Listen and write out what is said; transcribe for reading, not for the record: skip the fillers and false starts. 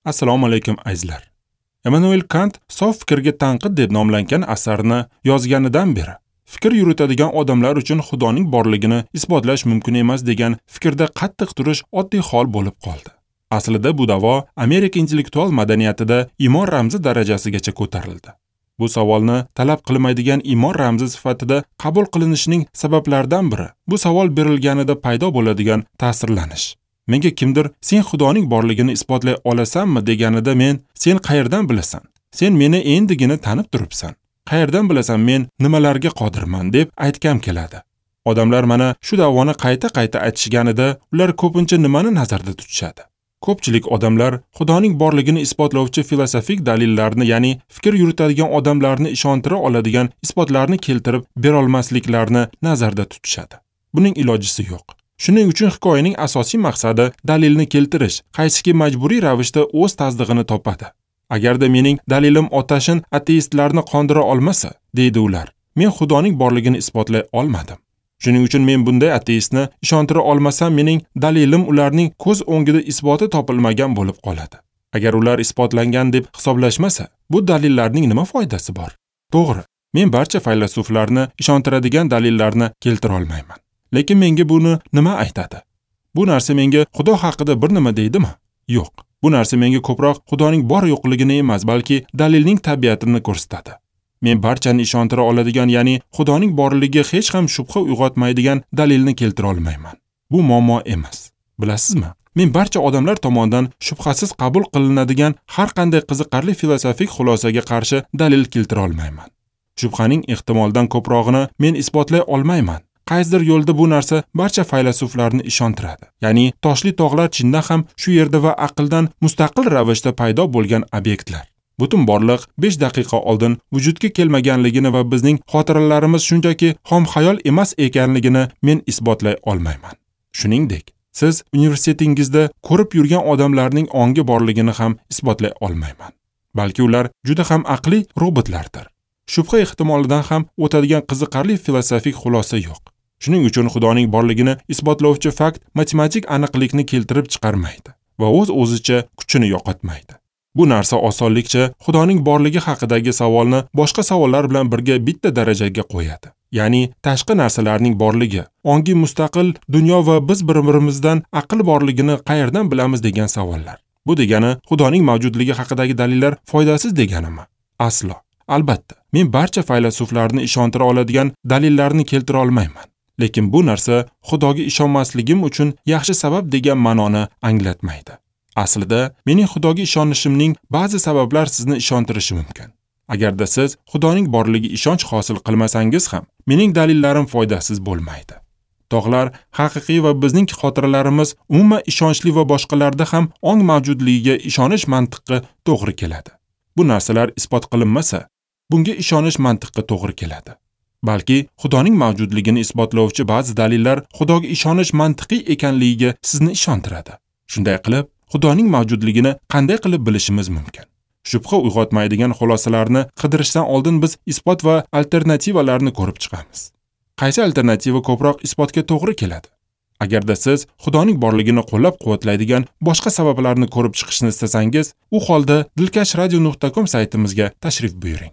Assalomu alaykum azizlar. Emmanuel Kant Sof fikrga tanqid deb nomlangan asarni yozganidan beri fikr yuritadigan odamlar uchun Xudoning borligini isbotlash mumkin emas degan fikrda qattiq turish oddiy hol bo'lib qoldi. Aslida bu da'vo Amerika intellektual madaniyatida iymon ramzi darajasigacha ko'tarildi. Bu savolni talab qilmaydigan iymon ramzi sifatida qabul qilinishining sabablaridan biri bu savol berilganida paydo bo'ladigan ta'sirlanish. Menga kimdir sen Xudoning borligini isbotlay olasanmi deganida men sen qayerdan bilasan? Sen meni endigina tanib turibsan. Qayerdan bilasan men nimalarga qodirman deb aytgam keladi. Odamlar mana shu da'voni qayta-qayta aytishganida ular ko'pincha nimani nazarda tutishadi? Ko'pchilik odamlar Xudoning borligini isbotlovchi filosofik dalillarni, ya'ni fikr yuritadigan odamlarni ishontira oladigan isbotlarni keltirib berolmasliklarini nazarda tutishadi. Buning ilojisi yo'q. Shuning uchun hikoyaning asosiy maqsadi dalilni keltirish, qaysiki majburiy ravishda o'z tasdig'ini topadi. Agarda mening dalilim otashin ateistlarni qondira olmasa, deydi ular, men Xudoning borligini isbotlay olmadim. Shuning uchun men bunday ateistni ishontira olmasam, mening dalilim ularning ko'z o'ngida isboti topilmagan bo'lib qoladi. Agar ular isbotlangan deb hisoblashmasa, bu dalillarning nima foydasi bor? To'g'ri, men barcha faylasuflarni ishontiradigan dalillarni keltira olmayman. Lekin menga buni nima aytadi? Bu narsa menga Xudo haqida bir nima deydimi? Yo'q. Bu narsa menga ko'proq Xudoning bor yo'qligini emas, balki dalilning tabiatini ko'rsatadi. Men barchani ishontira oladigan, ya'ni Xudoning borligiga hech ham shubha uyg'otmaydigan dalilni keltira olmayman. Bu muammo emas. Bilasizmi? Men barcha odamlar tomonidan shubhasiz qabul qilinadigan har qanday qiziqarli filosofik xulosaga qarshi dalil keltira olmayman. Shubhaning ehtimoldan ko'prog'ini men isbotlay olmayman. Qaysidir yo'lda bu narsa barcha faylasuflarni ishontiradi. Ya'ni toshli tog'lar chindan ham shu yerda va aqldan mustaqil ravishda paydo bo'lgan obyektlar. Butun borliq 5 daqiqa oldin vujudga kelmaganligini va bizning xotiralarimiz shunchaki xom xayol emas ekanligini men isbotlay olmayman. Shuningdek, siz universitetingizda ko'rib yurgan odamlarning ongi borligini ham isbotlay olmayman. Balki ular juda ham aqli robotlardir. Shubha ehtimolidan ham o'tadigan qiziqarli filosofik xulosa yo'q. Shuning uchun Xudoning borligini isbotlovchi fakt matematik aniqlikni keltirib chiqarmaydi va o'z-o'zicha kuchini yo'qotmaydi. Bu narsa osonlikcha Xudoning borligi haqidagi savolni boshqa savollar bilan birga bitta darajaga qo'yadi. Ya'ni tashqi narsalarning borligi, ongi mustaqil dunyo va biz bir-birimizdan aql borligini qayerdan bilamiz degan savollar. Bu degani Xudoning mavjudligi haqidagi dalillar foydasiz deganimi? Aslo. Albatta, men barcha faylasuflarni ishontira oladigan dalillarni keltira olmayman. Lekin bu narsa Xudoga ishonmasligim uchun yaxshi sabab degan ma'noni anglatmaydi. Aslida, mening Xudoga ishonishimning ba'zi sabablar sizni ishontirishi mumkin. Agarda siz Xudoning borligiga ishonch hosil qilmasangiz ham, mening dalillarim foydasiz bo'lmaydi. Tog'lar haqiqiy va bizning xotiralarimiz umuman ishonchli va boshqalarda ham ong mavjudligiga ishonish mantiqqa to'g'ri keladi. Bu narsalar isbot qilinmasa, bunga ishonish mantiqqa to'g'ri keladi. Balki Xudoning mavjudligini isbotlovchi ba'zi dalillar Xudoga ishonish mantiqiy ekanligiga sizni ishontiradi. Shunday qilib, Xudoning mavjudligini qanday qilib bilishimiz mumkin? Shubha uyg'otmaydigan xulosalarni qidirishdan oldin biz isbot va alternativalarni ko'rib chiqamiz. Qaysi alternativa ko'proq isbotga to'g'ri keladi? Agarda siz Xudoning borligini qo'llab-quvvatlaydigan boshqa sabablarni ko'rib chiqishni istasangiz, u holda dilkashradio.com saytimizga tashrif buyuring.